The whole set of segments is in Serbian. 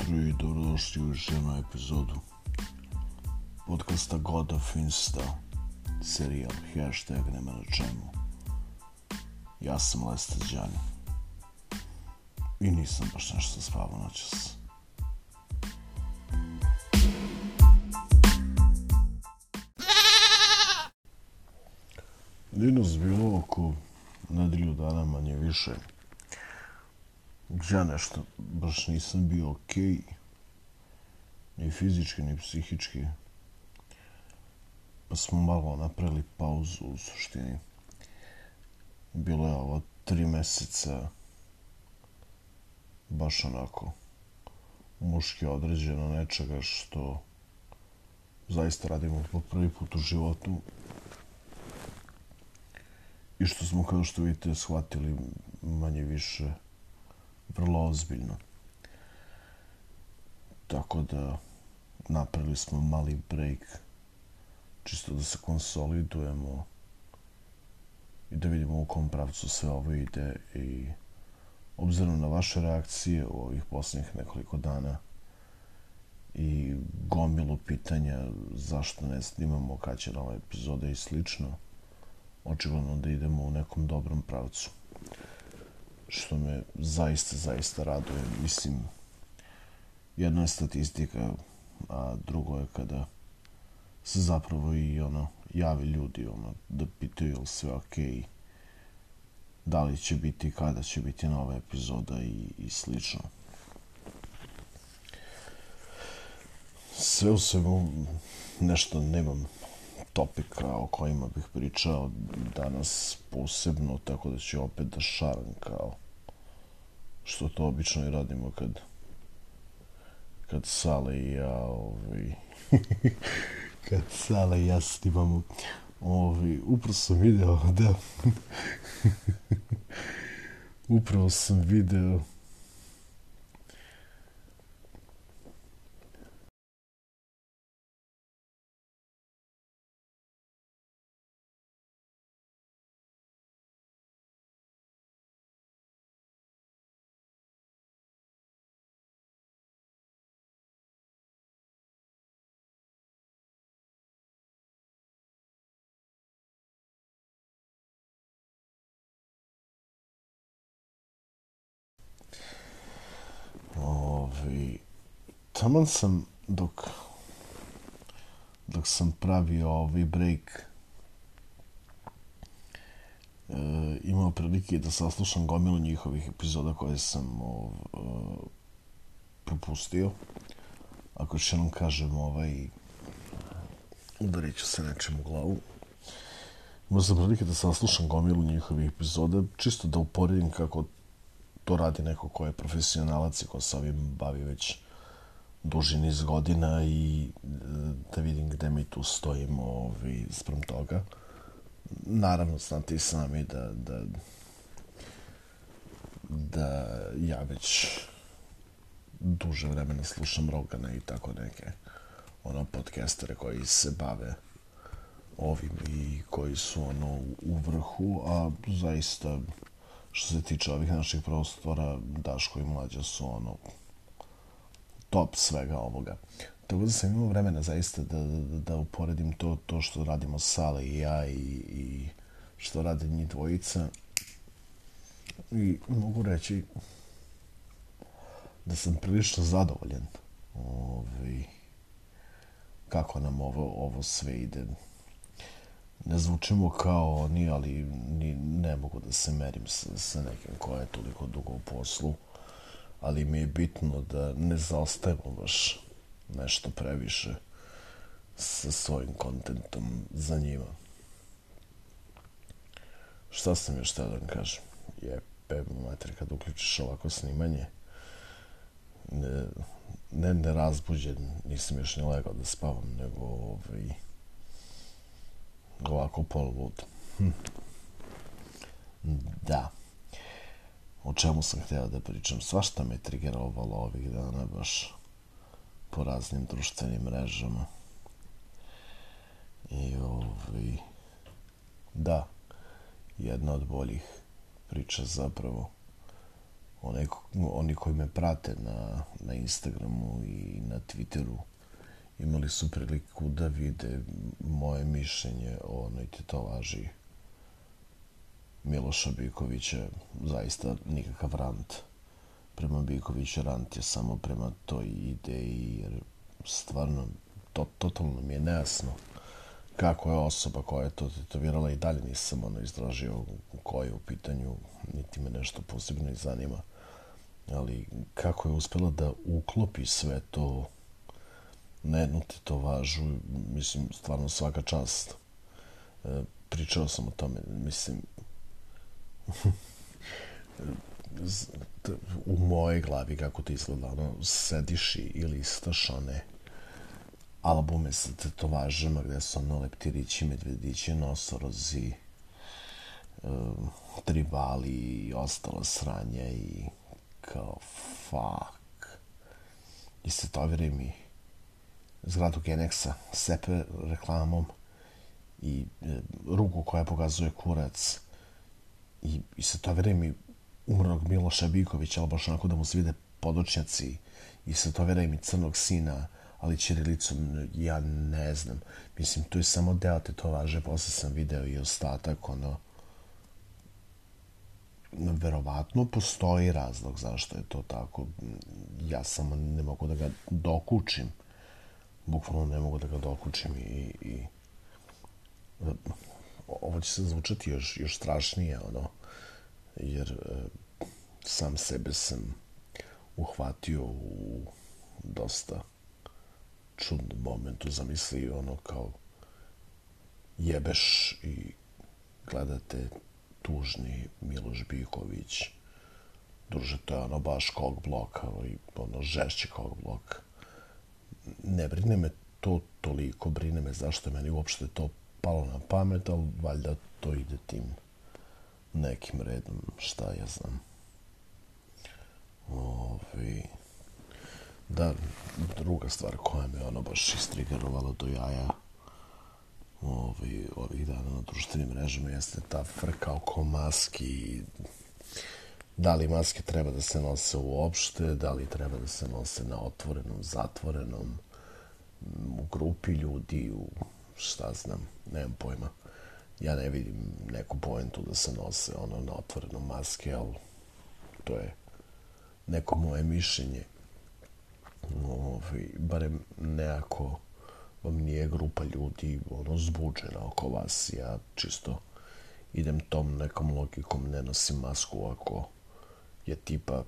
jutro i dobrodošli u još jednu epizodu podcasta God of Insta, serijal Hashtag nema na čemu. Ja sam Lester Đani i nisam baš nešto spavao noćas. Dinos bilo oko nedelju dana manje više. Ja nešto baš nisam bio okej, ni fizički, ni psihički. Pa smo malo napravili pauzu u suštini. Bilo je ovo 3 meseca baš onako muški određeno nečega što zaista radimo po prvi put u životu i što smo, kao što vidite, shvatili manje više vrlo ozbiljno. Tako da napravili smo mali break čisto da se konsolidujemo i da vidimo u kom pravcu sve ovo ide. I obzirom na vaše reakcije u ovih posljednjih nekoliko dana i gomilu pitanja zašto ne snimamo, kad će nova epizoda i slično, očigledno da idemo u nekom dobrom pravcu, što me zaista raduje. Mislim, jedno je statistika, a drugo je kada se zapravo i javi ljudi da pitaju je li sve okej, da li će biti, kada će biti nova epizoda i slično. Sve u svemu nešto nemam topika o kojima bih pričao danas posebno, tako da ću opet da šaram kao što to obično i radimo kad Sale i ja kad Sale i ja snimamo. Upravo sam video taman sam dok sam pravio break imao prilike da saslušam gomilu njihovih epizoda koje sam propustio. Ako još jednom kažem udarit ću se nečem u glavu. Imao sam prilike da saslušam gomilu njihovih epizoda, čisto da uporedim kako to radi neko ko je profesionalac i ko se ovim bavi već duži niz godina i da vidim gde mi tu stojimo sprem toga. Naravno, znate i sami da ja već duže vremena slušam Rogana i tako neke podcastere koji se bave ovim i koji su u vrhu, a zaista što se tiče ovih naših prostora, Daško i Mlađa su top svega ovoga. Tako da sam imao vremena zaista da uporedim to što radimo Sale i ja i što rade njih dvojica. I mogu reći da sam prilično zadovoljan kako nam ovo sve ide. Ne zvučimo kao oni, ali ne mogu da se merim sa nekim ko je toliko dugo u poslu, ali mi je bitno da ne zaostajemo baš nešto previše sa svojim kontentom za njima. Šta sam još htio da vam kažem? Jebe mater, kad uključiš ovako snimanje, ne razbuđen, nisam još ni legao da spavam, nego ovako polud. Da. O čemu sam htio da pričam? Svašta me trigerovalo ovih dana baš po raznim društvenim mrežama. I da, jedna od boljih priča zapravo Oni koji me prate na Instagramu i na Twitteru imali su priliku da vide moje mišljenje o onoj tetovaži Miloša Bikovića. Zaista nikakav rant prema Bikoviću, rant je samo prema toj ideji, jer stvarno totalno mi je nejasno kako je osoba koja je to tetovirala, i dalje nisam izdražio ko je u pitanju, niti me nešto posebno i zanima, ali kako je uspjela da uklopi sve to na jednu tetovažu, mislim, stvarno svaka čast. Pričao sam o tome, mislim, u mojoj glavi kako to izgleda, sediš i listaš one albume sa tetovažama gde su leptirići, medvedići, nosorozi, tribali i ostala sranja, i kao fuck. I tetoviraj mi zgradu Genexa sepe reklamom i ruku koja pokazuje kurac, i tetoviraj mi umrlog Miloša Bikovića, ali baš onako da mu se vide podočnjaci, i tetoviraj mi crnog sina, ali ćirilicom, ja ne znam. Mislim, to je samo deo tetovaže, posle sam video i ostatak, verovatno postoji razlog zašto je to tako. Ja samo ne mogu da ga dokučim. Bukvalno ne mogu da ga dokučim, i ovo će se zvučati još strašnije, jer sam sebe sam uhvatio u dosta čudnom momentu. Zamisli kao jebeš i gledate tužni Miloš Biković. Druže, to je baš kog bloka, ali žešći kog bloka. Ne brine me to toliko, brine me zašto je meni uopšte to palo na pamet, ali valjda to ide tim nekim redom, šta ja znam. Da, druga stvar koja me baš istrigerovala do jaja ovih dana na društvenim mrežama jeste ta frka oko maski. Da li maske treba da se nose uopšte, da li treba da se nose na otvorenom, zatvorenom, u grupi ljudi, šta znam, nemam pojma. Ja ne vidim neku poentu da se nose na otvorenom maske, ali to je neko moje mišljenje. Barem nekako vam nije grupa ljudi zbuđena oko vas. Ja čisto idem tom nekom logikom, ne nosim masku ako je tipa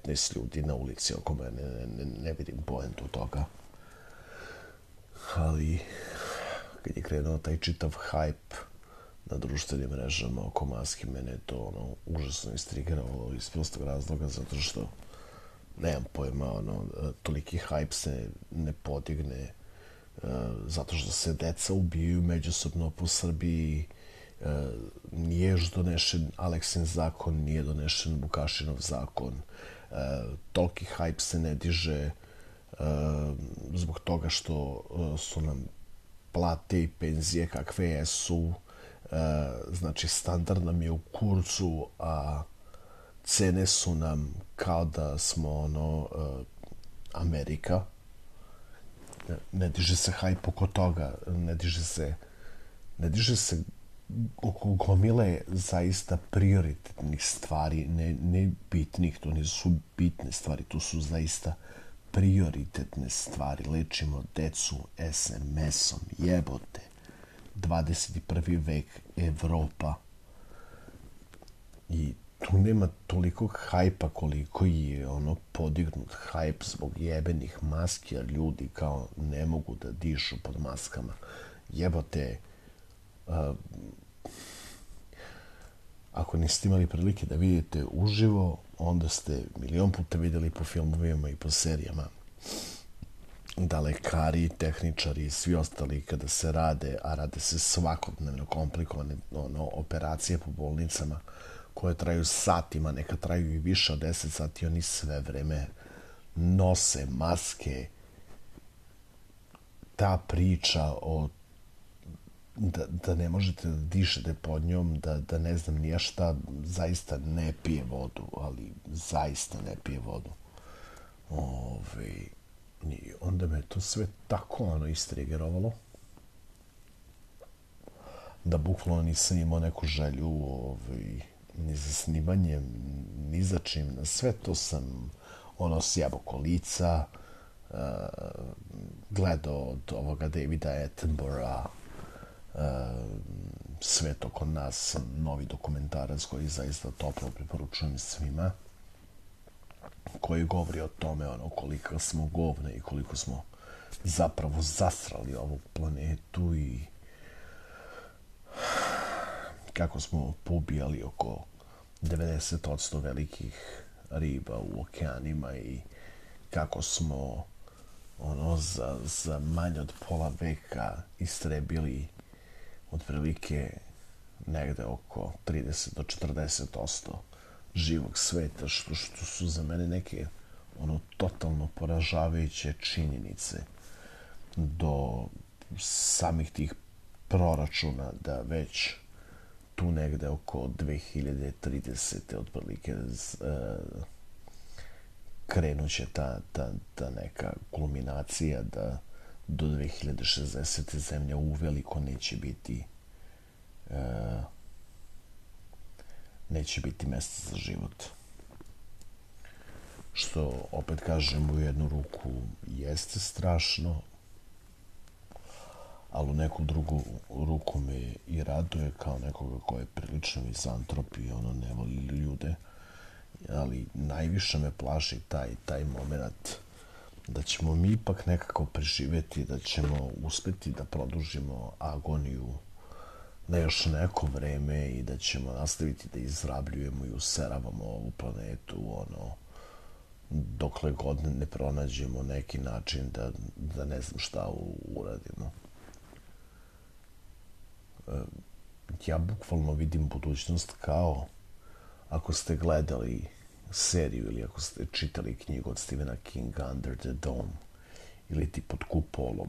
15 ljudi na ulici oko mene, ne vidim poentu toga. Ali kad je krenuo taj čitav hype na društvenim mrežama oko maski, mene je to užasno istrigiralo iz prostog razloga, zato što nemam pojma, toliki hype se ne podigne zato što se deca ubijaju međusobno po Srbiji. Nije još donešen Aleksin zakon, nije donešen Vukašinov zakon. Toliki hype se ne diže zbog toga što su nam plate i penzije kakve jesu. Znači, standard nam je u kurcu, a cene su nam kao da smo Amerika. Ne diže se hype oko toga, ne diže se oko gomile zaista prioritetnih stvari, ne bitnih, to nisu bitne stvari, to su zaista prioritetne stvari. Lečimo decu SMS-om, jebote. 21. vek, Evropa. I tu nema toliko hajpa koliko je podignut hajp zbog jebenih maski, jer ljudi kao ne mogu da dišu pod maskama. Jebote, ako niste imali prilike da vidite uživo, onda ste milion puta vidjeli po filmovima i po serijama da lekari, tehničari i svi ostali kada se rade, a rade se svakodnevno komplikovane operacije po bolnicama koje traju satima, neka traju i više od 10 sati, oni sve vreme nose maske. Ta priča o da ne možete da dišete pod njom, da ne znam nija šta, zaista ne pije vodu, ali zaista ne pije vodu. I onda me to sve tako istrigerovalo da bukvalno nisam imao neku želju ni za snimanjem, ni za čim. Na sve to sam sjebao kolica, gledao od ovoga Davida Attenborougha Svet oko nas, novi dokumentarac koji zaista toplo preporučujem svima, koji govori o tome koliko smo govne i koliko smo zapravo zasrali ovu planetu i kako smo poubijali oko 90% velikih riba u okeanima i kako smo za manje od pola veka istrebili otprilike negde oko 30 do 40% živog sveta, što su za mene neke totalno poražavajuće činjenice, do samih tih proračuna da već tu negde oko 2030. otprilike krenuće ta neka kulminacija da do 2060. zemlja uveliko neće biti mesta za život. Što, opet kažem, u jednu ruku jeste strašno, ali u neku drugu ruku me i raduje kao nekoga ko je prilično mizantrop i ne voli ljude, ali najviše me plaši taj moment da ćemo mi ipak nekako preživeti, da ćemo uspeti da produžimo agoniju na još neko vreme i da ćemo nastaviti da izrabljujemo i useravamo ovu planetu dokle god ne pronađemo neki način da ne znam šta uradimo. Ja bukvalno vidim budućnost kao ako ste gledali seriju ili ako ste čitali knjigu od Stephena Kinga Under the Dome ili ti Pod kupolom.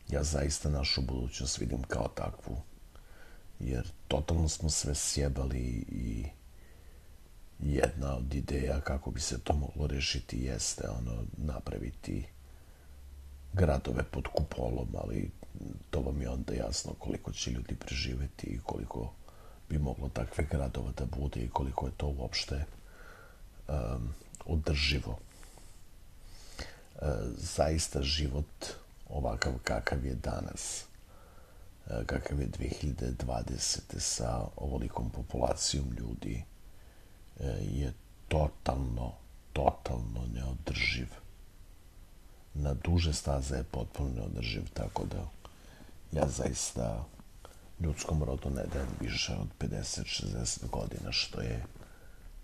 Ja zaista našu budućnost vidim kao takvu, jer totalno smo sve sjebali i jedna od ideja kako bi se to moglo rešiti jeste napraviti gradove pod kupolom, ali to vam je onda jasno koliko će ljudi preživeti i koliko bi moglo takve gradova da bude i koliko je to uopšte održivo. Zaista život ovakav kakav je danas, kakav je 2020. sa ovolikom populacijom ljudi, je totalno neodrživ. Na duže staze je potpuno neodrživ, tako da ja zaista ljudskom rodu ne dajem više od 50-60 godina, što je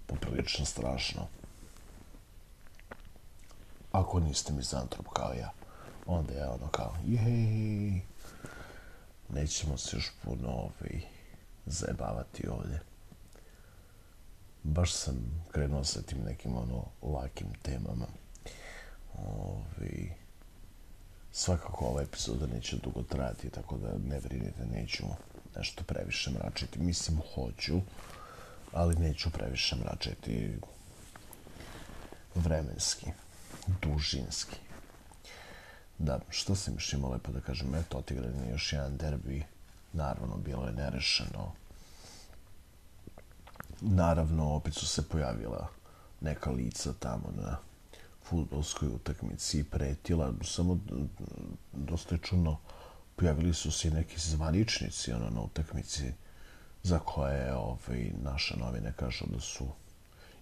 poprilično strašno. Ako niste mizantrop kao ja, onda je kao, jej, nećemo se još puno zajebavati ovdje. Baš sam krenuo sa tim nekim lakim temama. Svakako ova epizoda neće dugo trajati, tako da ne brinite, neću nešto previše mračiti. Mislim, hoću, ali neću previše mračiti vremenski, dužinski. Da, što sam još imao lepo da kažem? Eto, otigran je još jedan derbi. Naravno, bilo je nerešeno. Naravno, opet su se pojavila neka lica tamo na fudbalskoj utakmici i pretila. Samo dosta je čudno, pojavili su se i neki zvaničnici na utakmici za koje naše novine kažu da su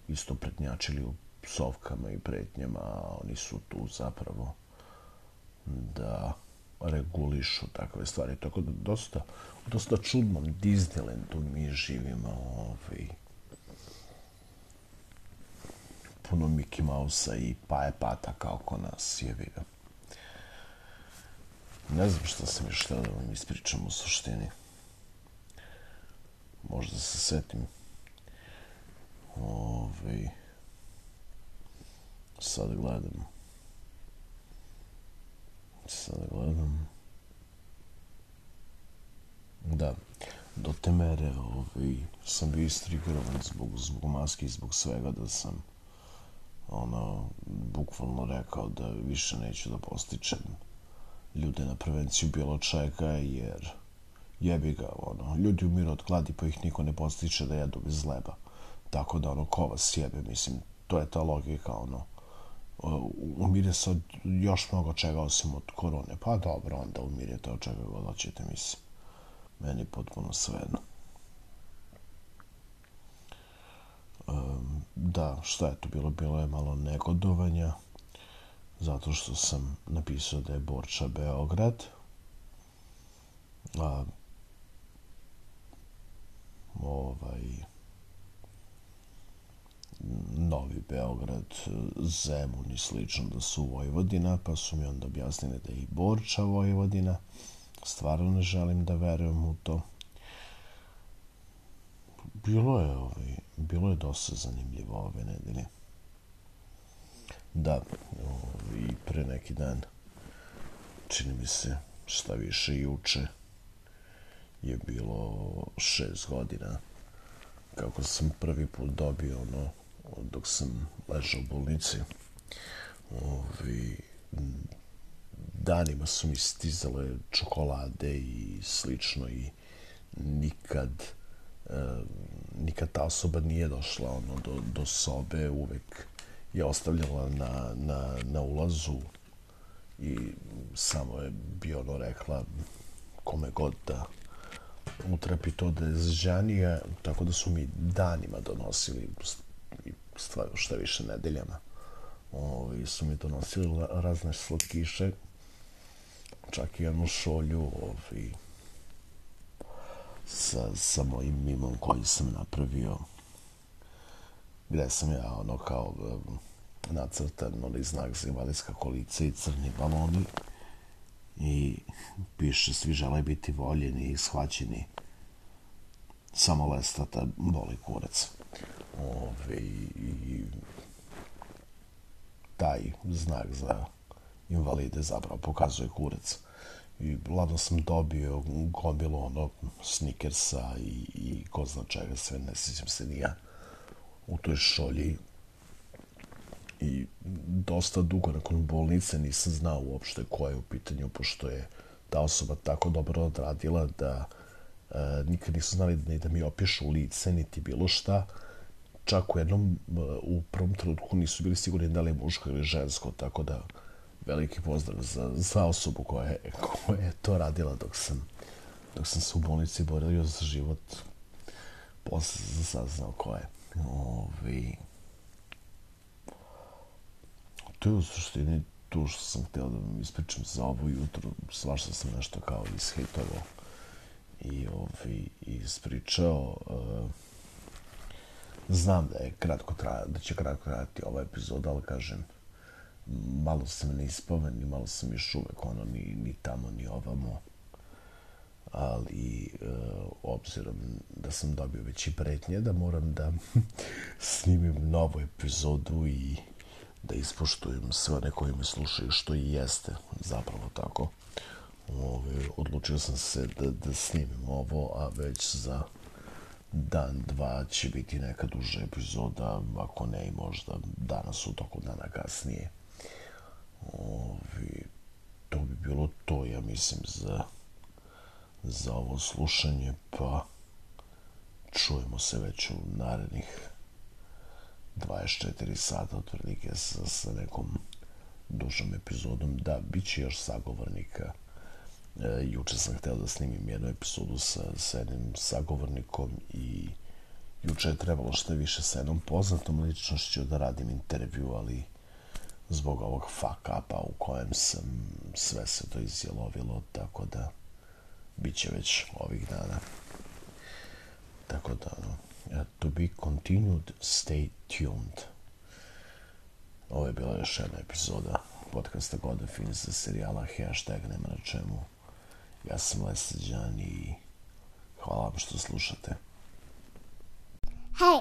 isto prednjačili u psovkama i pretnjama, a oni su tu zapravo da regulišu takve stvari. Tako da dosta čudnom Disneylandu mi živimo. Puno Mickey Mouse-a i Paje Pata kao ko nas je vidio. Ne znam šta sam još htio da vam ispričam u suštini. Možda se setim. Sad gledam. da, do te mere sam bio istrigirovan zbog maske i zbog svega da sam bukvalno rekao da više neću da postičem ljude na prevenciju bilo čega, jer jebi ga, ljudi umiru od gladi pa ih niko ne postiče da jedu bez leba. Tako da, ko vas jebe, mislim, to je ta logika, umire se od još mnogo čega osim od korone. Pa dobro, onda umirete od čega god hoćete, mislim. Meni potpuno svejedno. Da, šta je to bilo? Bilo je malo negodovanja, zato što sam napisao da je Borča Beograd. Novi Beograd, Zemun i slično da su Vojvodina, pa su mi onda objasnili da je i Borča Vojvodina. Stvarno ne želim da verujem u to. Bilo je dosta zanimljivo ove nedelje. Da, i pre neki dan, čini mi se, šta više juče, je bilo 6 godina kako sam prvi put dobio dok sam ležao u bolnici. Danima su mi stizale čokolade i slično i nikad ta osoba nije došla do sobe, uvek je ostavljala na ulazu i samo je bio rekla kome god da utrapi to da je zžanija, tako da su mi danima donosili, šta više nedeljama, su mi donosili razne slatkiše, čak i jednu šolju sa mojim mimom koji sam napravio, gde sam ja kao nacrtan znak za invalidska kolica i crni baloni i piše svi žele biti voljeni i shvaćeni, samo Lestata boli kurac. I taj znak za invalide zapravo pokazuje kurac. I ladno sam dobio gomilu Snickersa i ko zna čega sve, ne sjećam se ni ja, u toj šolji. I dosta dugo nakon bolnice nisam znao uopšte ko je u pitanju, pošto je ta osoba tako dobro odradila da nikad nisu znali ni da mi opišu lice, niti bilo šta. Čak u prvom trenutku nisu bili sigurni da li je muško ili žensko, tako da veliki pozdrav za osobu koja je to radila dok sam se u bolnici borio za život. Posle sam saznao ko je. To je u suštini to što sam htio da vam ispričam za ovo jutro. Svašta sam nešto kao ishejtovao i ispričao. Znam da će kratko trajati ova epizoda, ali kažem, malo sam neispavan i malo sam još uvek ni tamo ni ovamo, ali obzirom da sam dobio već i pretnje da moram da snimim novu epizodu i da ispoštujem sve one koji me slušaju, što i jeste zapravo tako. Odlučio sam se da snimim ovo, a već za dan, dva će biti neka duža epizoda, ako ne i možda danas u toku dana kasnije. To bi bilo to, ja mislim, za ovo slušanje, pa čujemo se već u narednih 24 sata otprilike sa nekom dužom epizodom. Da, bit će još sagovornika. Juče sam hteo da snimim jednu epizodu sa jednim sagovornikom i juče je trebalo što više sa jednom poznatom ličnošću da radim intervju, ali zbog ovog fuck upa u kojem sam, sve se to izjelovilo, tako da bit će već ovih dana. Tako da, to be continued, stay tuned. Ovo je bila još jedna epizoda podcasta Goda Fins za serijala Hashtag Nema na čemu. Ja sam Lesađan i hvala vam što slušate. Hey!